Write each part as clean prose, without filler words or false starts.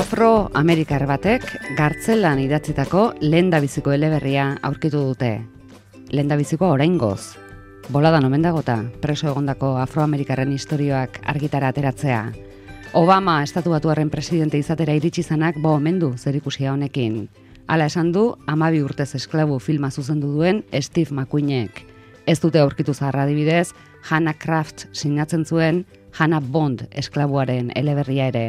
Afroamerikar batek gartzelan idatzitako lehendabiziko eleberria aurkitu dute. Lehendabizikoa oraingoz. Boladan omen dagota, preso egondako afroamerikarren istorioak argitara ateratzea. Obama estatuatuarren presidente izatera iritsi zanak omen du zerikusia honekin. Hala esan du, 12 urtez esklabu filma zuzendu duen Steve McQueenek. Ez dute aurkitu zaharra adibidez, Hannah Kraft sinatzen zuen Hannah Bond esklabuaren eleberria ere.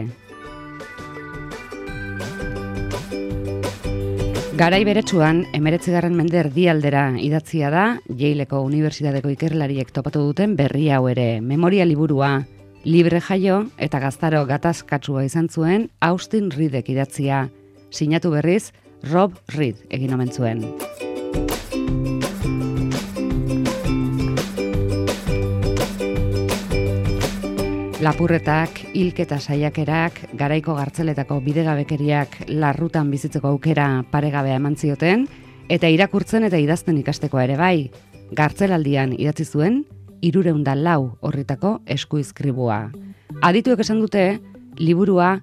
Garai beretsuan, 19. mende erdialdera idatzia da, Yaleko Unibertsitateko ikerlariek topatu duten berri hau ere, memoria liburua, libre jaio eta gaztaro gatazkatsua izan zuen Austin Reedek idatzia, sinatu berriz Rob Reed egin omen zuen. Lapurretak, hilketa saiakerak, garaiko gartzeletako bidegabekeriak larrutan bizitzeko aukera paregabea eman zioten, eta irakurtzen eta idazten ikastekoa ere bai. Gartzelaldian idatzi zuen 304 orritako eskuizkribua. Adituek esan dute, liburua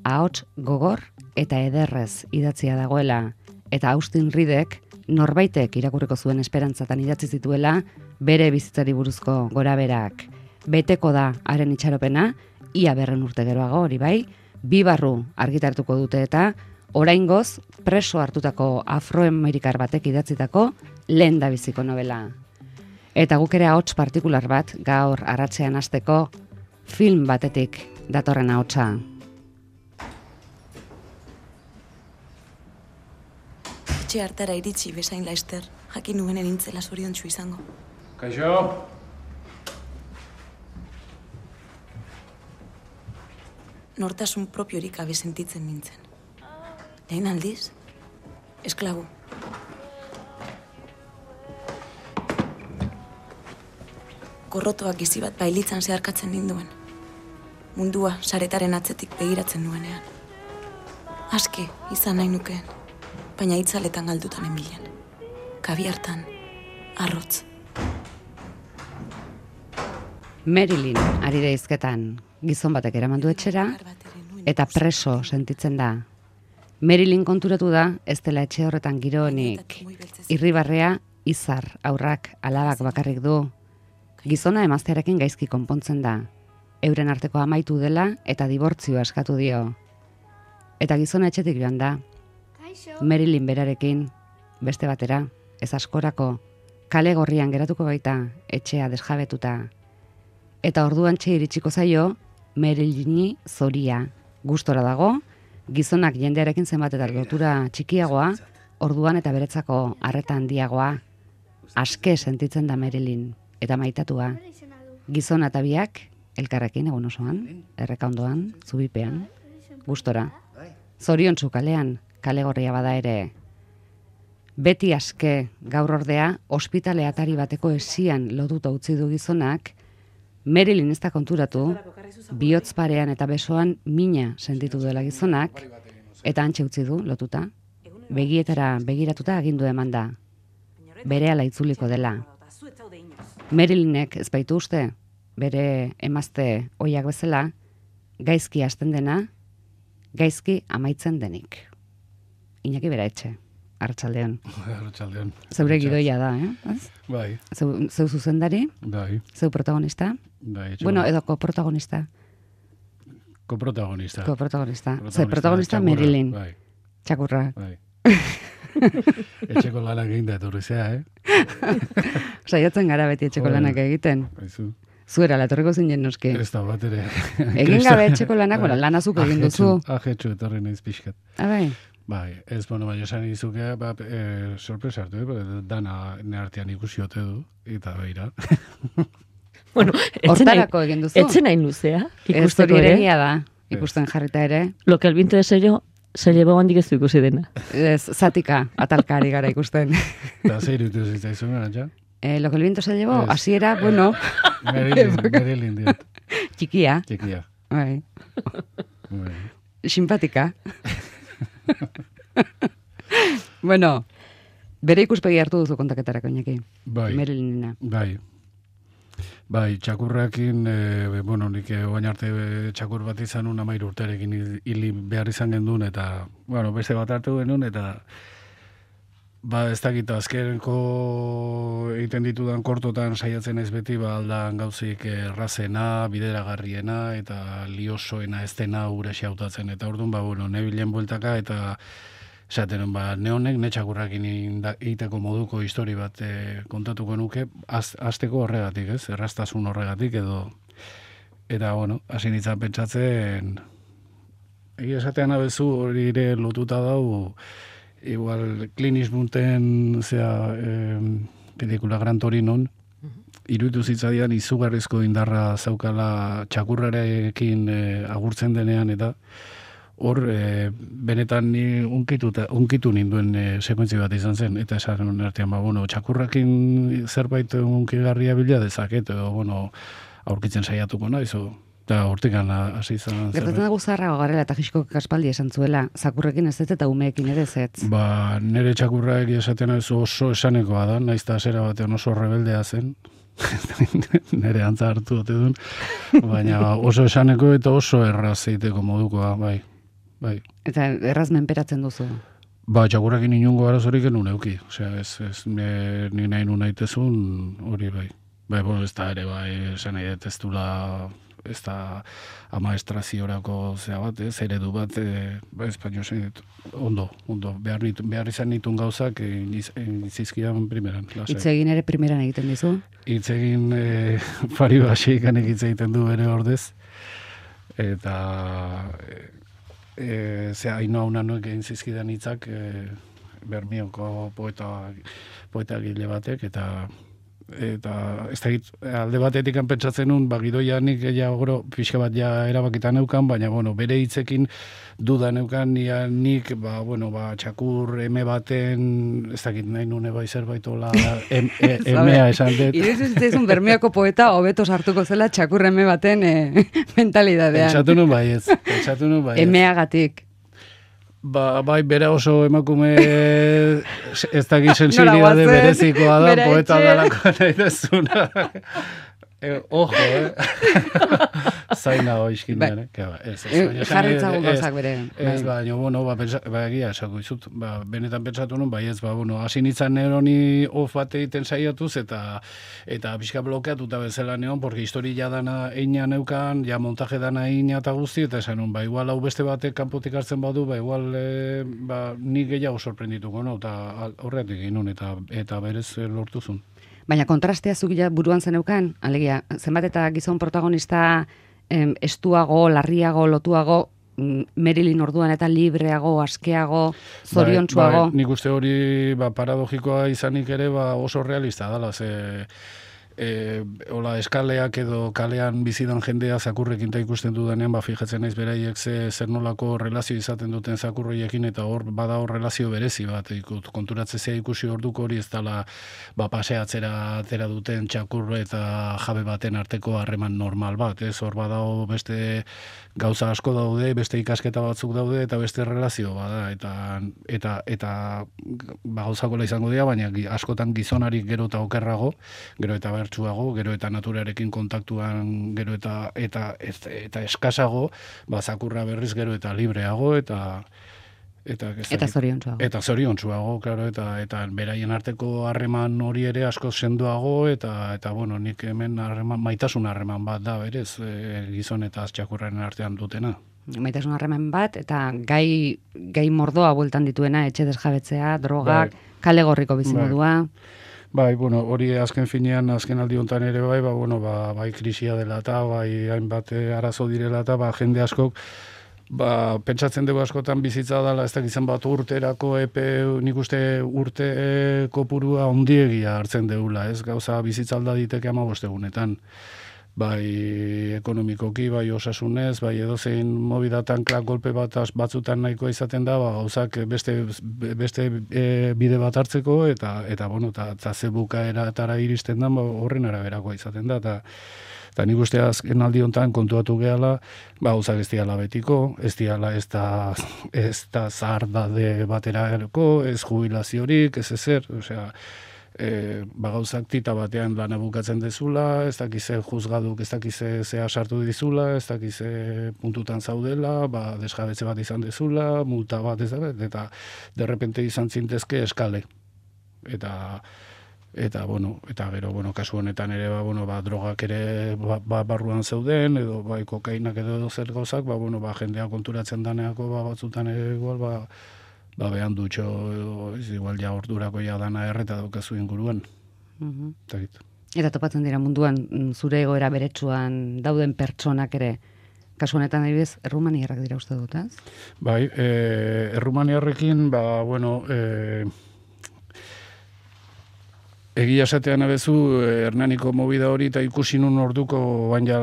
ahots gogor eta ederrez idatzia dagoela, eta Austin Reedek norbaitek irakurriko zuen esperantzatan idatzi zituela bere bizitzari buruzko goraberak. Beteko da haren itxaropena, ia 100 urte geroago hori bai, 2 barru argitartuko dute eta oraingoz preso hartutako afroamerikar batek idatzitako lehendabiziko novela. Eta guk ere ahots partikular bat gaur arratsean hasteko film batetik datorren ahotsa. Etxe hartara iritsi bezain laster, jakin nuen nintzela zoriontsu izango. Kaixo! Nortasun propiorik gabe sentitzen nintzen. Lehen aldiz, esklabu. Gorrotoak gizi bat bailitzan zeharkatzen ninduen. Mundua saretaren atzetik begiratzen nuenean. Aske izan nahi nukeen, baina itzaletan galdutan enbilen. Kabiartan, arrotz. Marilyn ari da hizketan. Gizon batek eraman du etxera, eta preso sentitzen da. Marilyn konturatu da, ez dela etxe horretan giro honik. Irribarrea, izar, aurrak, alabak bakarrik du. Gizona emaztearekin gaizki konpontzen da. Euren arteko amaitu dela eta dibortzioa eskatu dio. Eta gizona etxetik joan da. Marilyn berarekin, beste batera, ez askorako, kale gorrian geratuko baita, etxea desjabetuta. Eta orduan iritsiko zaio, Marilyni zoria. Gustora dago, gizonak jendearekin zenbat eta lotura txikiagoa, orduan eta beretzako arreta handiagoa. Aske sentitzen da Marilyn, eta maitatua. Gizona eta biak, elkarrekin egun osoan, errekaondoan, zubipean, gustora. Zoriontsu kalean, kale gorria bada ere. Beti aske, gaur ordea, ospitale atari bateko esian lotuta utzi du gizonak, Marilyn ez da konturatu, bihotz parean eta besoan mina sentitu dela gizonak, eta antxe utzi du lotuta, begietara begiratuta agindu eman da. Berehala itzuliko dela. Marilynek ez baitu uste, bere emazte oiak bezala, gaizki hasten dena, gaizki amaitzen denik. Iñaki bera etxe. Arratsaldeon. Arratsaldeon. Zeure gidoia da, Bai. Zeu zuzendari? Bai. Zeu protagonista? Bai. Bueno, edo koprotagonista. Koprotagonista. Ze protagonista Marilyn. Bai. Txakurra. Bai. Etxeko lanak egin da etorrizea, Saiatzen gara beti etxeko lanak egiten. Baizu. Zuera, latorriko zinen noski. Ez da bat ere. Egin gabe etxeko lanak, lanazuk egin duzu. Ajetxu etorri naiz pixkat. Bai. Bai, ez baina esan izuke, sorpresa hartu, dana neartean ikusi ote du, eta beira. Bueno, hortarako egin duzu. Etzen nahi luzea, ikusteko ere. ere. Da, ikusten jarrita ere. Lo que el viento de sello, se llevó handik ez du ikusi dena. Ez, zatika, atalkari gara ikusten. Eta zer irutu zitzaizun gara, ja? Lo que el viento se llevó, hasiera, bueno. Marilyn diot. Txikia. Bai. Simpatika. Bueno, bere ikuspegi hartu duzu kontaketarako, Iñaki. Bai. Marilynena. Bai. Bai, txakurrakin, bueno, nik oain arte txakur bat izan nun 13 urterekin hili behar izan gendun, eta, bueno, beste bat hartu genuen, eta ez dakit, azkeneko egiten ditudan kortotan saiatzen ez beti, aldan gauzik errazena, bideragarriena, eta liosoena ez dena gure xautatzen, eta orduan, bueno, nebilen bueltaka, eta esaten, ne honek, ne txakurrakin egiteko moduko histori bat kontatuko nuke, hasteko horregatik, ez? Erraztasun horregatik, eta, bueno, hasi nintzen pentsatzen, egia esatean abezu hori ere lotuta dau, igual Clint Eastwooden pelikula Gran Torinon, iruditu zitzaidan izugarrizko indarra zaukala txakurrarekin agurtzen denean, eta hor, benetan ni unkitu ninduen sekuentzi bat izan zen, eta esan artean, bueno, txakurrakin zerbait unkigarria bila dezaket, edo, bueno, aurkitzen saiatuko naiz, eta hortikan hasi izan. Gertatzen dago zaharrago garela eta Hitchcock aspaldi esan zuela, zakurrekin ez eta umeekin ere ez. Nire txakurra egia esaten ez oso esanekoa da, naiz eta zera batean oso rebeldea zen, nire antza hartu dute duen, baina oso esaneko eta oso erraz eiteko modukoa, bai. Eta erraz menperatzen duzu? Txakurrakin inungo arazorik enun euki, osea, ez ni nahi nun naitezun hori bai. Bueno, ez da ere, esan nahi dut ez dula, ez da amaestraziorako zea bat, eredu bat, espainol zen dut, ondo, behar izan nitun gauzak izizkidan primeran. Itzegin ere primeran egiten dizu? Itzegin pari basiekan egiten du ere ordez, eta haino hauna nuek egin zizkidan hitzak Bermioko poeta gile batek, eta ez da alde batetik pentsatzen nun, gidoia nik gero pixka bat ja erabakitan neukan, baina bueno, bere hitzekin duda neukan, nik txakur eme baten, ez dakit nahi nune bai zerbaitola emea esan dut. Iruditzen Bermeoko poeta hobeto sartuko zela txakur eme baten mentalidadean. Pentsatu nun bai ez. Emeagatik. Bai, bera oso emakume ez dakit sensibilidade berezikoa da, poeta dalako nahi dezuna. Ojo, zaina oizkinean, jarritzagun gauzak bere. Ez, baina, bueno, egia esako izut, benetan pentsatu nun, bai ez, hasi nintzen neroni of bat egiten saiatuz, eta pixka blokeatuta bezala neon, porque historia dana eina neukan, ja montaje dana eina eta guzti, eta esan nun, igual hau beste batek kanpotik hartzen badu, igual nik gehiago sorprendituko, eta horretik ginun, eta berez lortuzun. Baina kontrastea zugila buruan zeneukan, alegia, zenbat eta gizon protagonista estuago, larriago, lotuago, Marilyn orduan eta libreago, askeago, zoriontsuago. Nik uste hori paradogikoa izanik ere oso realista dala, eskaleak edo kalean bizidan jendea zakurrekin ta ikusten dudanean, fijatzen naiz beraiek zer nolako relazio izaten duten zakurroiekin, eta hor bada hor relazio berezi bat, konturatzea ikusi orduko hori ez dala paseatzera atera duten txakur eta jabe baten arteko harreman normal bat, hor bada beste gauza asko daude, beste ikasketa batzuk daude, eta beste relazio bada, eta gauzakola izango dira, baina askotan gizonarik gero eta okerrago, gero eta bertsuago, gero eta naturarekin kontaktuan, gero eta eskasago, zakurra berriz gero eta libreago, eta zoriontsuago. Eta zoriontsuago, claro, eta beraien arteko harreman hori ere asko sendoago, eta bueno, nik hemen maitasun harreman bat da, berez, gizon eta txakurraren artean dutena. Maitasun harreman bat, eta gai mordoa bueltan dituena, etxe desjabetzea, drogak, kale gorriko bizimodua. Bai, bueno, hori azken finean, azken aldi honetan ere bai krisia dela eta, bai hainbat arazo direla eta, jende askok, pentsatzen dugu askotan bizitza dela, ez dakizan bat urterako nik uste urte kopurua ondiegia hartzen degula, ez gauza bizitza alda diteke 15 egunetan. Bai ekonomikoki, bai osasunez, bai edozein mobidatan golpe batzutan nahikoa izaten da, gauzak beste bide bat hartzeko, eta bueno, eta ze bukaeratara iristen da, horren araberakoa izaten da, eta nik uste azken aldi honetan kontuatu gehala, gauzak ez diala betiko, ez da zahar dade baterako, ez jubilaziorik, ez ezer, osea, gauzak tita batean lana bukatzen dezula, ez dakize juzgaduk, ez dakize zea sartu dizula, ez dakize puntutan zaudela, desjabetze bat izan dezula, multa bat ez da, eta derrepente izan zintezke eskale. Eta gero, kasu honetan ere, drogak ere barruan zeuden, edo kokainak edo zer gauzak, jendea konturatzen daneako, batzutan ere igual, behan dutxo, igual ja ordurako ja dana erreta daukazu inguruan. Eta topatzen dira munduan, zure egoera beretsuan dauden pertsonak ere, kasu honetan adibidez, errumaniarrak dira uste dut, ez? Bai, errumaniarrekin, egia esatean abezu, Hernaniko movida hori eta ikusi nun orduko, bain ja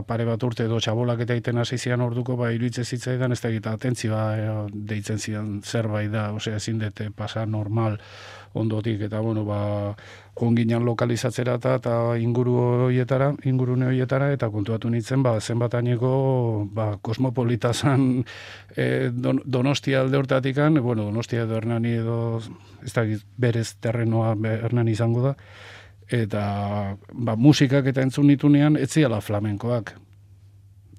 pare bat urte edo txabolak eta iten hasi zian orduko, iruditzen zitzaidan, ez da egita atentzioa deitzen zian zerbait da, ezin dute pasa normal ondotik, eta jonginan lokalizatzera eta ingurune horietara, eta kontuatu nintzen, zenbataineko kosmopolita zan Donostia alde hortatikan, Donostia edo Hernani edo, ez da berez terrenoa Hernani izango da, eta musikak eta entzun nitunean, etziala flamenkoak.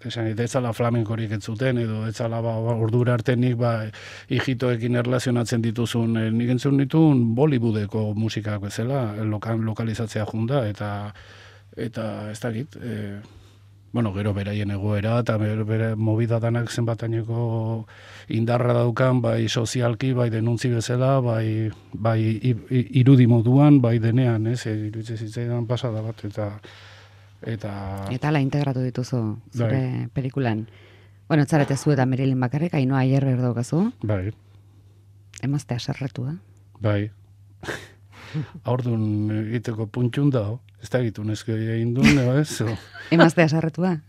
Esan, ez zala flamenkorik entzuten, edo ez zala ordura artenik hijitoekin erlazionatzen dituzun, nik entzun nituen Bollywoodeko musikak bezala, lokalizatzea junda, eta ez dakit, gero beraien egoera, eta bere movida danak zenbataineko indarra daukan, bai sozialki, bai denuntzi bezala, bai irudi moduan, bai denean, iruditzen zitzaidan pasada bat, eta la integratu dituzu zure pelikulan. Ez zarete zu eta Marilyn bakarrik, Ainhoa Ayerber daukazu. Bai. Emaztea sarretu da. Bai. Aurdun egiteko puntxun da, ez da egitun ezko egin duen, ez? Emaztea sarretu da.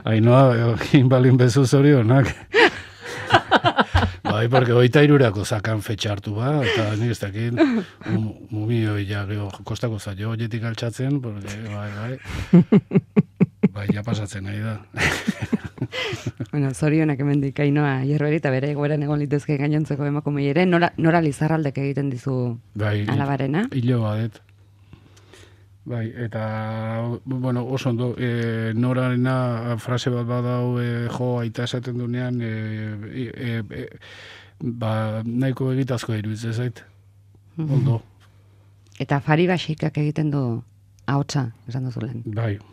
Ainhoa, inbalin bezu zorionak. Bai, porque hoita irurako zakan fetxa hartu eta nik ez dakit, mumioi ja, kostako zailo hoietik altxatzen, porque, bai, ja pasatzen nahi da. Zorionak hemendik Ainhoa Ayerber eta bere egoeran egon litezke gainontzeko emakumei ere, nora Lizarraldek egiten dizu alabarena? Hilo badet. Bai, eta, oso ondo, norarena frase bat badau, aita esaten dunean, nahiko egitazko iruditzen zait. Ondo. Eta Fari Baxikak egiten du ahotsa, esan duzu lehen.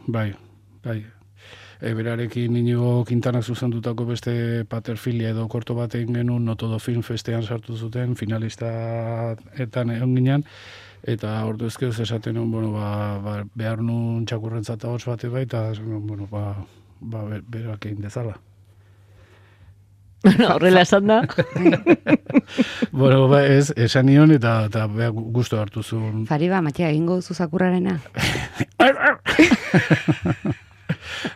Bai. Berarekin Inigo Quintanak zuzendutako beste paterfilia edo korto baten genuen Notodo Film Festean sartu zuten, finalista etan egon ginen, eta ordu ezkeuz esaten nuen, behar nun txakurrentzat ahots bate bai, eta berak egin dezala. Horrela esan da. Esan nion eta gustu hartu zuen. Fariba, Matia, egingo duzu zakurrarena?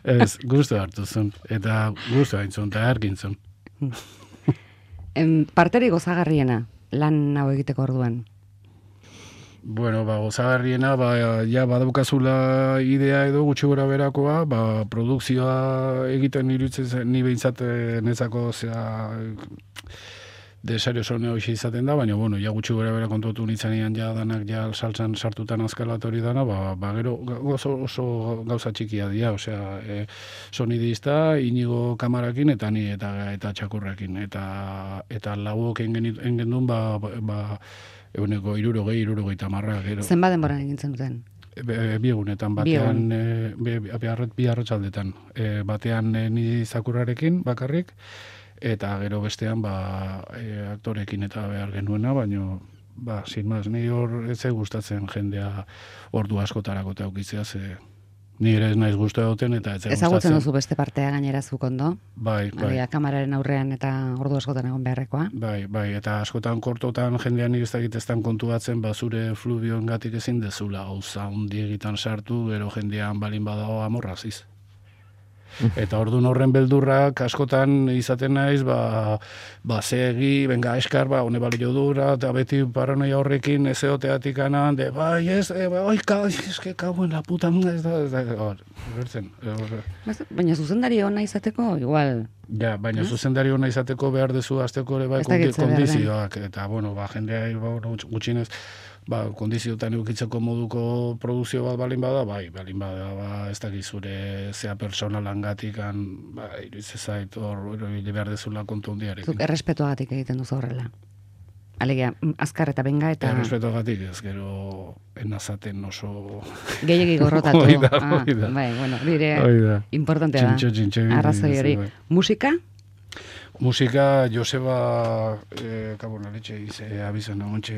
Ez, gustu hartu zuen, eta gustu hain zuen, eta ergin zuen. Parteri gozagarriena, lan hau egiteko orduan? Gozagarriena, badaukazula idea edo gutxi gora berakoa, produkzioa egiten iruditzen ni behintzat netzako desario zone hoxe izaten da, baina, gutxi gora bera kontuatu nintzanean danak saltzan sartutan azkalatori dana, gero oso gauza txikia dira, sonidista, Inigo kamarakin, eta ni eta txakurrekin, eta lauok engen duen, eguneko 60-70. Zenbat denboran egintzen duten? Bi egunetan, batean, bi arratsaldetan. Batean ni zakurrarekin bakarrik, eta gero bestean aktorekin eta behar genuena, baina, sin maz, ni hor ez gustatzen jendea ordu askotarako eta aukitzea, ni ere ez naiz gustu duten eta ez gustatzen. Ezagutzen duzu beste partea gainera zuk ondo? Bai. Kameraren aurrean eta ordu askotan egon beharrekoa? Bai, eta askotan kortotan jendean nik ez dakiteztan kontuatzen, zure fluvioengatik ezin dezula, gauza hundi egitan sartu, gero jendean balin badago amorraziz. Eta ordun horren beldurrak askotan izaten naiz, segi, benga, eskar, hone balio dura, eta beti paranoia horrekin ez eoteatik anan, bai, eske kauen la puta, ez da, bertzen. Baina zuzendari ona izateko, igual... Ja, baina zuzendari ona izateko behar dezu azteko ere bai kondizioak, eta, jendea gutxinez, kondizioetan eukitzeko moduko produzio bat balin bada, ez dakit zure zea personalangatik, iruditzen zait hor behar dezula kontu hundiarekin. Zuk errespetuagatik egiten duzu horrela. Alegia, azkar eta benga eta... Errespetuagatik, ez gero enazaten oso... Gehiegi gorrotatu. Oida. Bai, bueno, dire importantea da. Txintxo. Arrazoi hori. Musika? Musika, Joseba, kabona letxe, abizan ahontxe,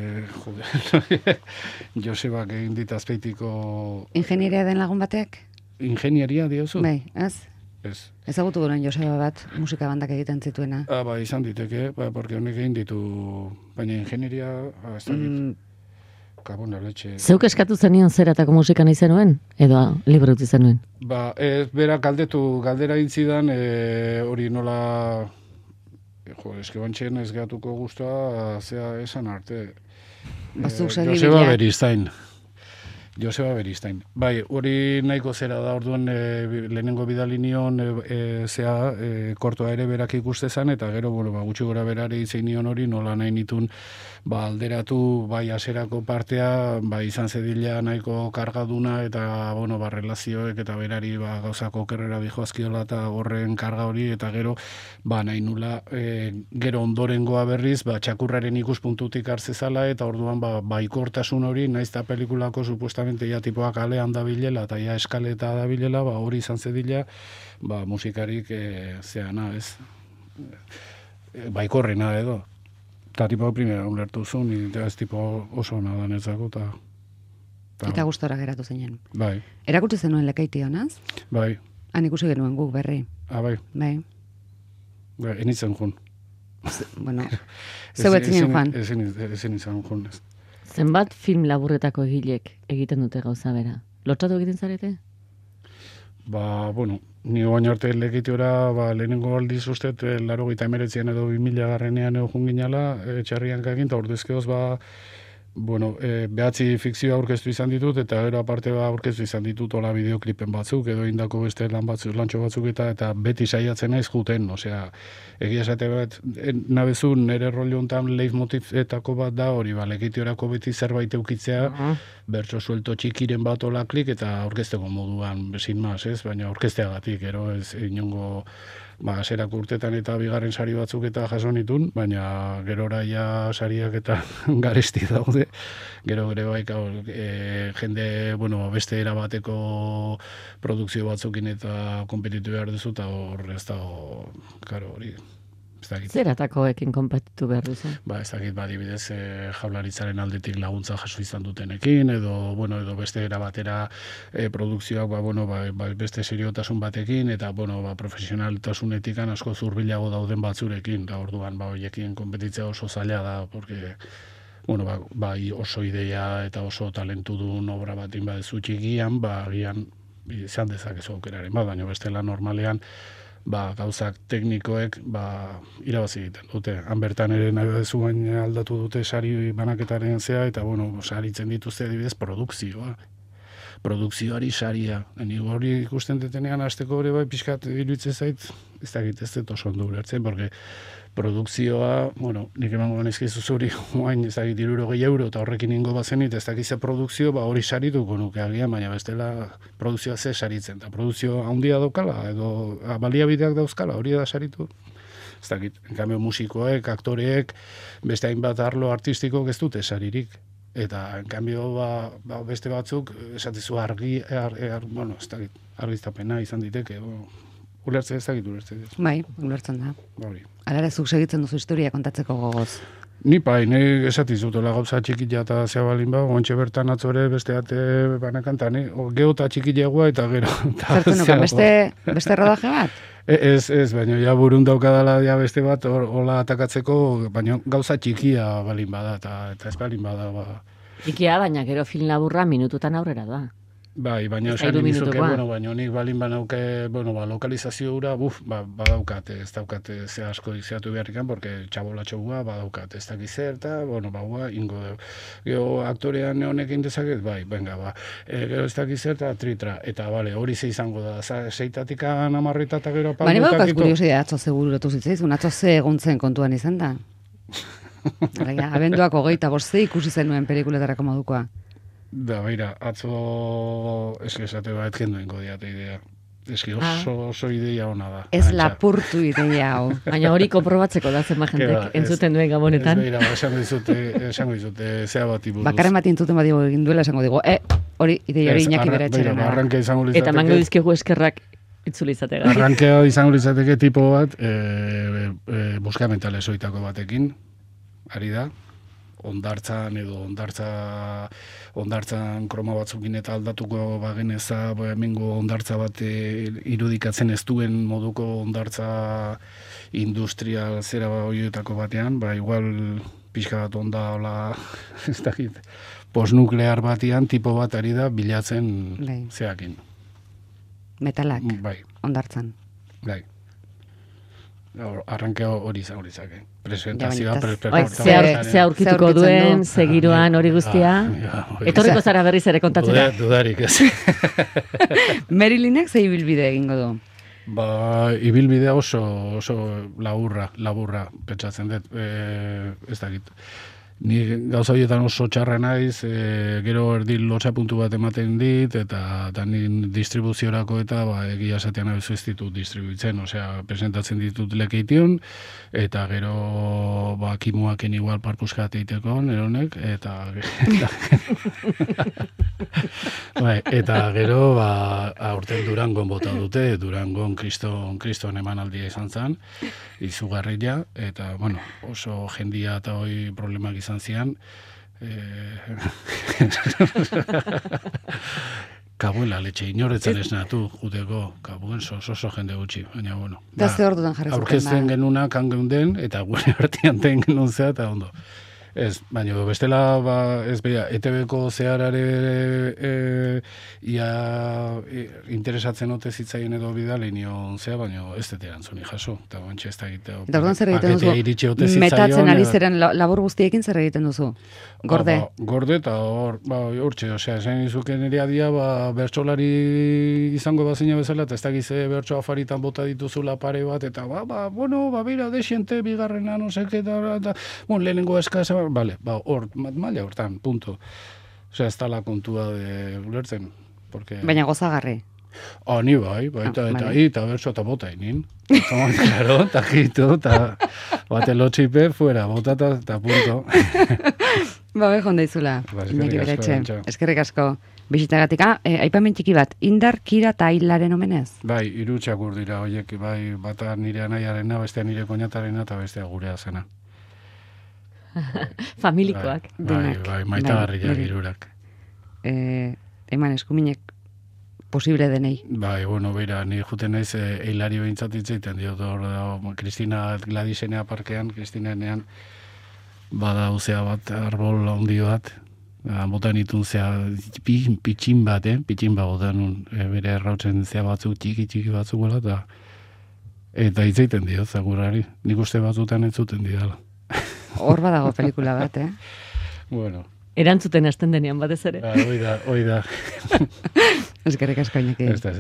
Joseba egin dit azpeitiko... Ingenieria den lagun batek? Ingenieria, diozu? Bai, ez? Ez. Ezagutu gure Joseba bat, musika bandak egiten zituena. Izan diteke, porque honek egin ditu, baina ingenieria, ez dakit, kabona letxe... Zeuk eskatu zenion zeratako musika nahi zenuen? Edo libro utzi zenuen? Bera galdera intzidan, hori nola... eske bantxen ez gehatuko guztua, zea esan arte. Joseba Beristain. Bai, hori nahiko zera da, orduan lehenengo bidali nion kortoa ere berak ikustezan, eta gero, gutxi gora berare itzein nion hori, nola nahi nitun, alderatu, aserako partea, izan zedila nahiko kargaduna, eta, relazioek, eta berari, gauzako kerrera dijoazkiola, eta horren karga hori, eta gero, nahi nula, gero ondorengoa berriz, txakurraren ikuspuntutik hartzezala, eta orduan, ikortasun hori, naiz eta pelikulako supuestamente ja tipoak alean dabilela, eta ja eskaleta dabilela, hori izan zedila, musikarik zeana, ez? Baikorrena edo. Eta tipo primera ulertu zuen, eta ez tipo oso ona danetzako, eta gustora geratu zinen. Bai. Erakutsi zenuen Lekaiti honaz? Bai. Han ikusi genuen guk berri. Bai. Bai. Enitzen jun. Bueno, zeu etzinen joan. Ezin izan jun, ez. Zenbat film laburretako egilek egiten dute gauza bera? Lotxatu egiten zarete? Ni oain arte Lekitiora, lehenengo aldiz ustet, 89 edo 2000 garrenean egon ginala, txarrian kagin, eta ordezkeoz, behatzi fikzioa aurkeztu izan ditut, eta gero aparte aurkeztu izan ditut ola bideoklipen batzuk, edo indako beste lantxo batzuk, eta beti saiatzen naiz juten, egia esate bat, nabezu nire rollo honetan leitmotivetako bat da hori, Lekitiorako beti zerbait eukitzea, bertso suelto txikiren bat ola klik, eta aurkezteko moduan, sin mas, ez? Baina aurkezteagatik, ero ez inongo aserak urtetan eta bigarren sari batzuk eta jaso nitun, baina gerora ja sariak eta garesti daude. Gero ere jende, beste erabateko produkzio batzukin eta kompetitu behar duzu, eta hor ez dago, karo hori. Zeratakoekin konpetitu behar duzu? Ez dakit, adibidez, jaularitzaren aldetik laguntza jaso izan dutenekin, edo beste erabatera produkzioak, beste seriotasun batekin, eta, profesionaltasunetik asko zurbilago dauden batzurekin, da orduan, horiekin konpetitzea oso zaila da, porque, oso ideia eta oso talentudun obra batin badezu txikian, agian, izan dezakezu aukeraren, baina bestela normalean, gauzak teknikoek irabazi egiten dute. Han bertan ere nahi zuen aldatu dute sari banaketaren zea, eta saritzen dituzte adibidez produkzioa. Produkzioari saria. Hori ikusten detenean hasteko hori pixkat iruditzen zait, ez dakit ez dut oso ondo ulertzen, porque produkzioa, nik emango nizkizu zuri, ez dakit €60 eta horrekin ingo bazenit, ez dakit ze produkzio, hori sarituko nuke agian, baina bestela produkzioa ze saritzen, eta produkzio handia daukala, edo baliabideak dauzkala, hori da saritu. Ez dakit, en cambio musikoek, aktoreek, beste hainbat arlo artistikok ez dute saririk. Eta, en cambio, beste batzuk, esatezu argiztapena izan diteke, ulertzen ez dakit ulertzen. Bai, ulertzen da. Alara, zuk segitzen duzu historia kontatzeko gogoz. Ni esatizutela gauza txikila eta zea balin ontxe bertan atzore beste ate banakantan, geota txikilegoa eta gero. Zertu nukan, beste rodaje bat? Ez, baina ja burun daukadala beste bat, hola atakatzeko, baina gauza txikia balin bada, eta ez balin bada. Ikia, baina gero film laburra minututan aurrera da. Bai, baina Ez da esan hiru dizuke, minutukoa. bueno, baina nik balin banauke, bueno, lokalizazio hura, badaukat, ez daukat ze asko izatu beharrikan, porque txabolatxo gua badaukat, ez dakiz zer, eta, bueno, ingo dugu. Gero aktorean honekin dezaket, bai, venga, gero ez dakiz zer, eta tritra, eta, bale, hori ze izango da, seitatik amarrita eta gero Bani apaldutak badukaz kuriosia atzo seguratu zitzaizun, atzo ze eguntzen kontuan izan da. Alegia, abenduak 25 ikusi zenuen pelikuletarako modukoa. Da, beira, atzo eski esate bat kendu ingo diate idea. Eski oso ideia ona da. Ez lapurtu ideia hau. Baina hori konprobatzeko da zenba jentek entzuten duen gabonetan. Ez beira, esango dizute, zea bati buruz. Bakarren bat entzuten badigo egin duela esango digo, hori ideia hori Iñaki bere etxeran da. Arranke izango litzateke. Eta mango dizkigu eskerrak itzuli izatega. Arrankea izango litzateke tipo bat, buska mentales oitako batekin, ari da, ondartzan edo ondartzan kroma batzukin eta aldatuko bageneza, hemengo ondartza bat irudikatzen ez duen moduko ondartza industrial zera horietako batean, igual pixka bat onda hola, ez dakit, postnuklear batean tipo bat ari da bilatzen zeakin. Metalak, Bai. ondartzan. Bai. Arrankea hori izango litzake. Presentazioa, ze aurkituko duen, segiroan hori guztia. Etorriko zara berriz ere kontatzera. Dudarik ez. Marilynek ze ibilbide egingo du? Ibilbidea oso laburra pentsatzen dut. Ez dakit. Ni gauza horietan oso txarra naiz, gero erdi lotxa puntu bat ematen dit, eta ni distribuziorako eta egia esatean abezu ez ditut distribuitzen, osea, presentatzen ditut lekeition, eta gero kimuaken igual parpuskat eiteko, neronek, eta eta gero aurten Durangon bota dute, Durangon kriston emanaldia izan zen, izugarria, eta, bueno, oso jendia eta hoi problemak izan zian. Kabuela letxe, inoretzen esnatu, juteko, kabuen oso jende gutxi, baina, bueno. Da ze ordudan jarri zuten, aurkezten genuna kan geunden, eta gure artean ten genuen zea, eta ondo. Ez, baina bestela, ez beha, ETB-ko zeharare interesatzen ote zitzaien edo bidale nion zea, baina ez dut erantzuni jaso. Eta bantxe ez da egitea. Eta orduan zer egiten duzu? Metatzen ari zeren labor guztiekin zer egiten duzu? Gorde? Gorde eta hortxe, osea, esan izuken ere adia, bertsolari izango bazina bezala, eta ez da gize bertso afaritan bota dituzula pare bat, eta bera, desiente, bigarrena, no seke, eta lehenengo eskasa, maila hortan, punto. Osea, ez da la kontua de ulertzen. Baina gozagarri. Ni eta bertso eta bota inin. Claro, eta jitu, eta bate lotxipe, fuera, bota eta punto. Behon daizula, Iñaki Beretxe. Eskerrik asko. Bisitagatik, aipamen txiki bat, Indar, Kira eta Hilaren omenez? Bai, 3 txakur dira, horiek, bai, bata nire anaiarena, bestea nire koñatarena, eta bestea gurea zena. Familikoak. Bai, maitagarriak irurak. Eman eskuminek posible denei. Bai, beira, ni juten naiz Hilari behintzat itzaiten diot, Kristina Gladisenea parkean, Kristinenean, bada uzea bat, arbol handi bat, botan itun zea pitxin bat, botan bere errautzen zea batzuk, txiki batzuk gola, eta itzaiten diot, zagurari, nik uste batzutan entzuten didala. Hor badago pelikula bat, Bueno. Erantzuten hasten denean batez ere. Hoi da. Eskerrik asko, Iñaki. Ez da,